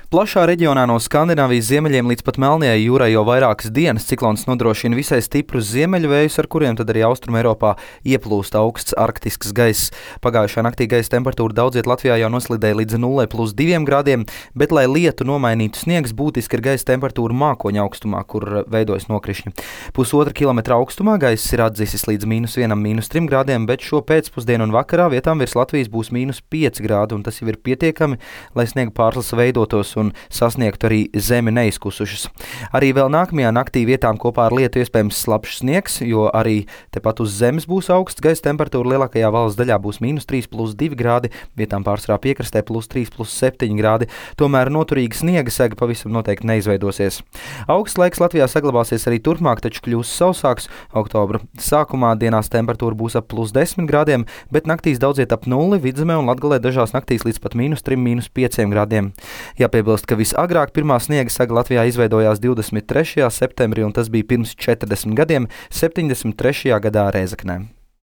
Plašā reģionā no Skandināvijas ziemeļiem līdz pat Melnajai jūrai jau vairākas dienas ciklons nodrošina visai stiprus ziemeļu vējus, ar kuriem tad arī Austruma Eiropā ieplūst augsts arktisks gaiss. Pagājušā naktī gaisa temperatūra daudziet Latvijā jau noslidēja līdz 0,2 grādiem, bet, lai lietu nomainītu sniegs, būtiski ir gaisa temperatūra mākoņa augstumā, kur veidojas nokrišņi. 1,5 kilometra augstumā gaiss ir atdzisis līdz -1, -3 grādiem, bet šo pēcpusdienu un vakarā vietām virs Latvijas būs -5 grādi, un tas jau ir pietiekami, lai sniega pārslasa veidotos un sasniegtu arī zemi neizkusušas. Arī vēl nākamajā naktī vietām kopā ar lietu iespējams slapjš sniegs, jo arī tepat uz zemes būs augsts gaisa temperatūra. Lielākajā valsts daļā būs -3,2 grādi, vietām pārsvarā piekrastē +3,7 grādi. Tomēr noturīga sniega sega pavisam noteikti neizveidosies. Augsts laiks Latvijā saglabāsies arī turpmāk, taču kļūs sausāks. Oktobra sākumā dienās temperatūra būs ap +10 grādiem, bet naktīs daudziet ap 0, Vidzemē un Latgalē dažās naktīs līdz pat -3, -5 grādiem. Jāpiebilst, ka visagrāk pirmā sniega saga Latvijā izveidojās 23. septembrī, un tas bija pirms 40 gadiem, 73. gadā Rēzeknē.